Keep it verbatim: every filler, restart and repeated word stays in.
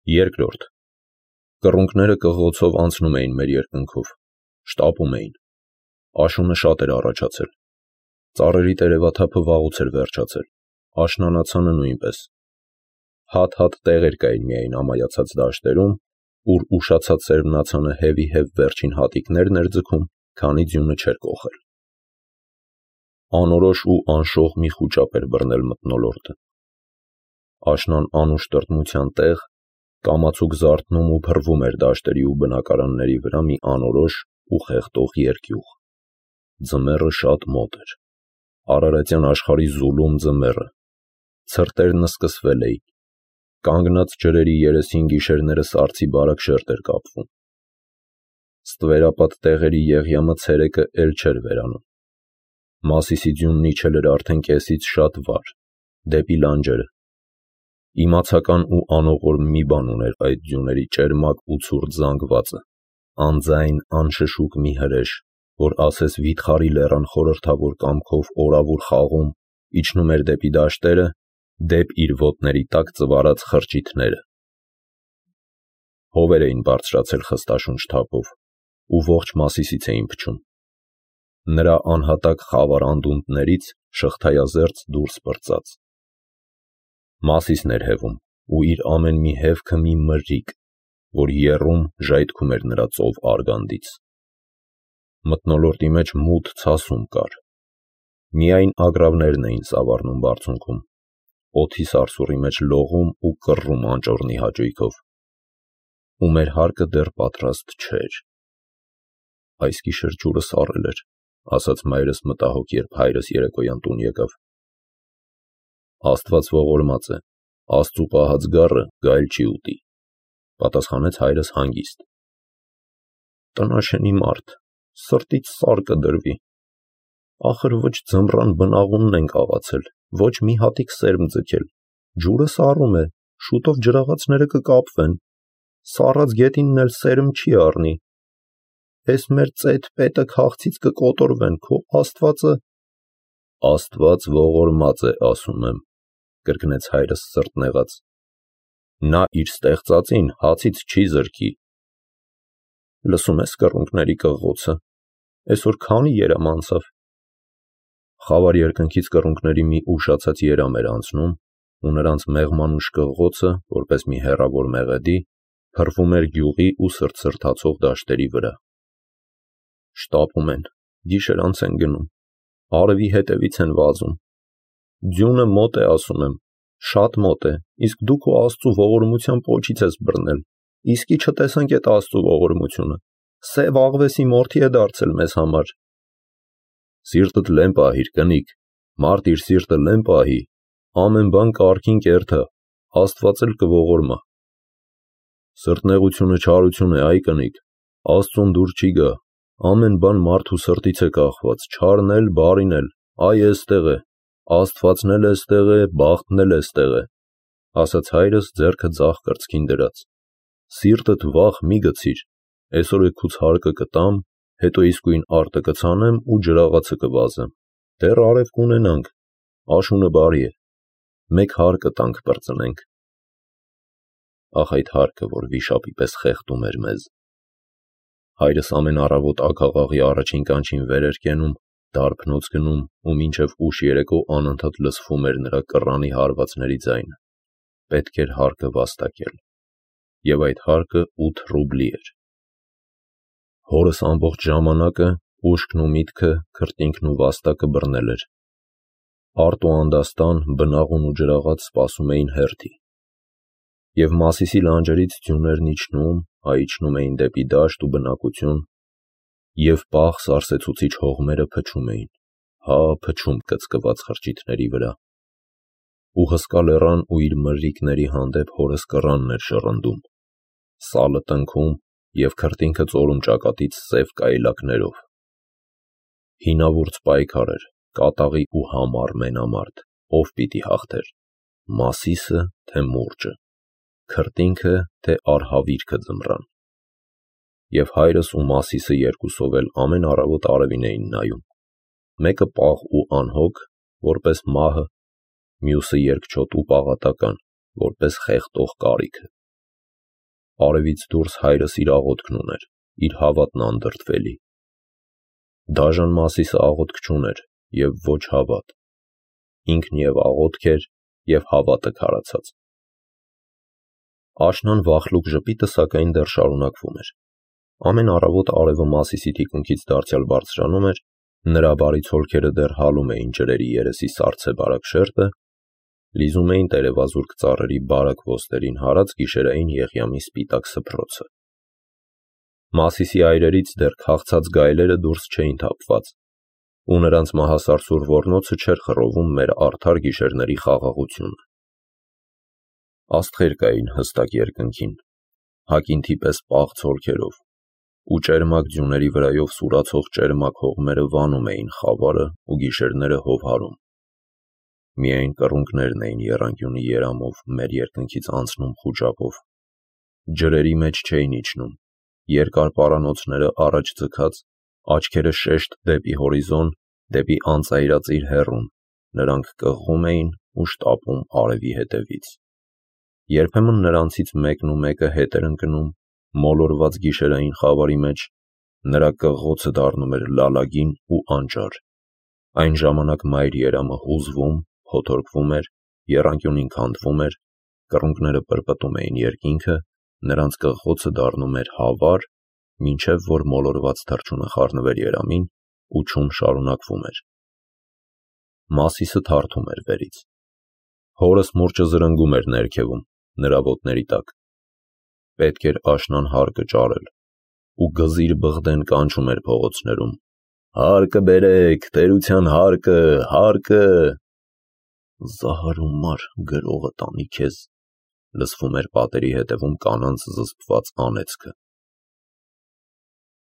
Երկրորդ. կռունկները կղոցով անցնում էին մեր երկնքով, շտապում էին, աշունը շատ էր առաջացել, ծառերի տերևաթափը վաղուց էր վերջացել, աշնանացանը նույնպես, հատ-հատ տեղեր կային միայն ամայացած դաշտերում, ուր ուշացած սերմնացանը հևի-հև վերջին հատիկներն էր ձգում, քանի ձյունը չէր կոխել։ Անորոշ ու անշող մի խուճապ էր բռնել մթնոլորտը։ Աշնան անուշ տրտմության տեղ կամացուկ զարթնում ու փռվում էր դաշտերի ու բնակարանների վրա մի անորոշ ու խեղդող երկյուղ։ Ձմեռը շատ մոտ էր, արարատյան աշխարհի զուլում ձմեռը, ցրտերն սկսվել էին, կանգնած ջրերի երեսին գիշերները սառցի բարակ շերտ էր կապվում։ Ստվերապատ տեղերի եղյամը ցերեկը էլ չէր վերանում։ Մասիսի ձյունն իջել էր արդեն կեսից շատ վար, դեպի լանջերը։ Իմացական ու անողորմ մի բան ուներ այդ ձյուների ճերմակ ու ցուրտ զանգվածը, անձայն, անշշուկ մի հրեշ, որ ասես վիթխարի լեռան խորհրդավոր կամքով օրավուր խաղում, իջնում էր դեպի դաշտերը, դեպ իր ոտների տակ ծվարած խրճիթները։ Հովեր էին բարձրացել խստաշունչ թափով ու ողջ Մասիսից էին փչում։ Նրա անհատակ խավար անդունդներից շղթայազերծ դուրս պրծած։ Մասիսն էր հևում, ու իր ամեն մի հևքը մի մրրիկ, որ եռում ժայթքում էր նրա ծով արգանդից։ Մթնոլորտի մեջ մութ ցասում կար։ Միայն ագռավներն էին սավառնում բարձունքում, օդի սարսուռի մեջ լողում ու կռռում անճոռնի հաճույքով։ Ու մեր հարկը դեռ պատրաստ չէր։ Այս գիշեր ջուրը սառել էր, ասաց մայրս մտահոգ, երբ հայրս երեկոյան տուն եկավ։ Աստված ողորմած է, Աստծու պահած գառը գայլ չի ուտի, պատասխանեց հայրս հանգիստ։ Տնաշենի մարդ, սրտից սար կդրվի։ Ախր ոչ ձմռան բնաղունն ենք աղացել, ոչ մի հատիկ սերմ ձգել, ջուրը սառում է, շուտով ջրաղացները կկապվեն, սառած գետինն էլ սերմ չի առնի։ Էս մեր ծեթ պետը քաղցից կկոտորվեն, քո Աստվածը… Աստված ողորմած է, ասում եմ, կրկնեց հայրս սրտնեղած։ Նա իր ստեղծածին հացից չի զրկի։ Լսում ես կռունկների կղղոցը, այսօր քանի երամ անցավ։ Խավար երկնքից կռունկների մի ուշացած երամ էր անցնում, ու նրանց մեղմանուշ կղղոցը, որպես մի հեռավոր մեղեդի, փռվում էր գյուղի ու սրտսրտացող դաշտերի վրա։ Շտապում են, գիշերանց են գնում, արևի հետևից են վազում։ Ձյունը մոտ է, ասում եմ, շատ մոտ է, իսկ դու քո Աստծու ողորմության պոչից ես բռնել, իսկի չտեսանք էդ Աստծու ողորմությունը, սև աղվեսի մորթի է դարձել մեզ համար։ Սիրտդ լեն պահիր, կնիկ, մարդ իր սիրտը լեն պահի, ամեն բան կարգին կերթա, Աստված էլ կողորմա։ Սրտնեղությունը չարություն է, այ կնիկ, Աստծուն դուր չի գա, ամեն բան մարդու սրտից է կախված, չարն էլ, բարին էլ, այ էստեղ է, Աստվածն էլ էստեղ է, բախտն էլ էստեղ է, ասաց հայրս ձեռքը ձախ կրծքին դրած։ Սիրտդ վախ մի գցիր, այսօր էգուց հարկը կտամ, հետո իսկույն արտը կցանեմ ու ջրաղացը կվազեմ, դեռ արև կունենանք, աշունը բարի է, մեկ հարկը տանք պրծնենք։ Ախ այդ հարկը, որ վիշապի պես խեղդում էր մեզ։ Հայրս ամեն առավոտ ագաղաղի առաջին կանչին վեր էր կենում, դարբնոց գնում ու մինչև ուշ երեկո անընդհատ լսվում էր նրա կռանի հարվածների ձայնը։ Պետք էր հարկը վաստակել։ Եվ այդ հարկը ութ ռուբլի էր։ Հորս ամբողջ ժամանակը ուշքն ու միտքը, քրտինքն ու վաստակը բռնել էր։ Արտ ու անդաստան, բնաղուն ու ջրաղաց սպասում էին հերթի։ Եվ Մասիսի լանջերից ձյուներն իջնում, հա իջնում էին դեպի դաշտ ու բնակություն, և պաղ սարսեցուցիչ հողմերը փչում էին, հա փչում կծկված խրճիթների վրա։ Ու հսկա լեռան ու իր մրրիկների հանդեպ հորս կռանն էր շռնդում, սալը տնքում և քրտինքը ծորում ճակատից սև կայելակներով։ Հինավուրց պայքար էր, կատաղի ու համառ մենամարտ, ով պիտի հաղթեր, Մասիսը, թե մուրճը, քրտինքը, թե արհավիրքը ձմռան։ Եվ հայրս ու Մասիսը երկուսով էլ ամեն առավոտ արևին էին նայում, մեկը պաղ ու անհոգ, որպես մահը, մյուսը երկչոտ ու պաղատական, որպես խեղդող կարիքը։ արևից դուրս հայրս իր աղոթքն ուներ, իր հավատն անդրդվելի։ Դաժան Մասիսը աղոթք չուներ և ոչ հավատ, ինքն և աղոթք էր և հավատը քարացած։ Աշնան վախլուկ ժպիտը սակայն դեռ շարունակվում էր։ Ամեն առավոտ արևը Մասիսի թիկունքից դարձյալ բարձրանում էր, նրա բարի ցոլքերը դեռ հալում էին ջրերի երեսի սառցե բարակ շերտը, լիզում էին տերևազուրկ ծառերի բարակ ոստերին հարած գիշերային Եղիամի սպիտակ սփռոցը։ Մասիսի այրերից դեռ քաղցած գայլերը դուրս չէին թափված, ու նրանց մահասարսուռ ոռնոցը չէր խռովում մեր արդար գիշերների խաղաղությունը։ Աստղեր կային հստակ երկնքին, հակինթի պես պաղ ցոլքերով, ու ճերմակ ձյուների վրայով սուրացող ճերմակ հողմերը վանում էին խավարը ու գիշերները հովհարում։ Միայն կռունկներն էին եռանկյունի երամով մեր երկնքից անցնում խուճապով, ջրերի մեջ չէին իջնում, երկար պարանոցները առաջ ձգած, աչքերը շեշտ դեպի հորիզոն, դեպի անծայրածիր հեռուն, նրանք կղղում էին ու շտապում արևի հետևից։ Երբեմն նրանցից մեկն ու մեկը հետ էր ընկնում մոլորված գիշերային խավարի մեջ, նրա կղղոցը դառնում էր լալագին ու անճար, այն ժամանակ մայր երամը հուզվում, փոթորկվում էր, եռանկյունին քանդվում էր, կռունկները պրպտում էին երկինքը, նրանց կղղոցը դառնում էր հավար, մինչև որ մոլորված թռչունը խառնվեր երամին ու չում շարունակվում էր։ Մասիսը թարթում էր վերից։ Հորս մուրճը զրնգում էր ներքևում, նրա ոտների տակ։ Պետք էր աշնան հարկը ճարել, ու գզիր բղդեն կանչում էր փողոցներում. «Հարկը բերեք, տերության հարկը, հարկը»։ «Զահարու մար, գրողը տանի քեզ», լսվում էր պատերի հետևում կանանց զսպված անեծքը։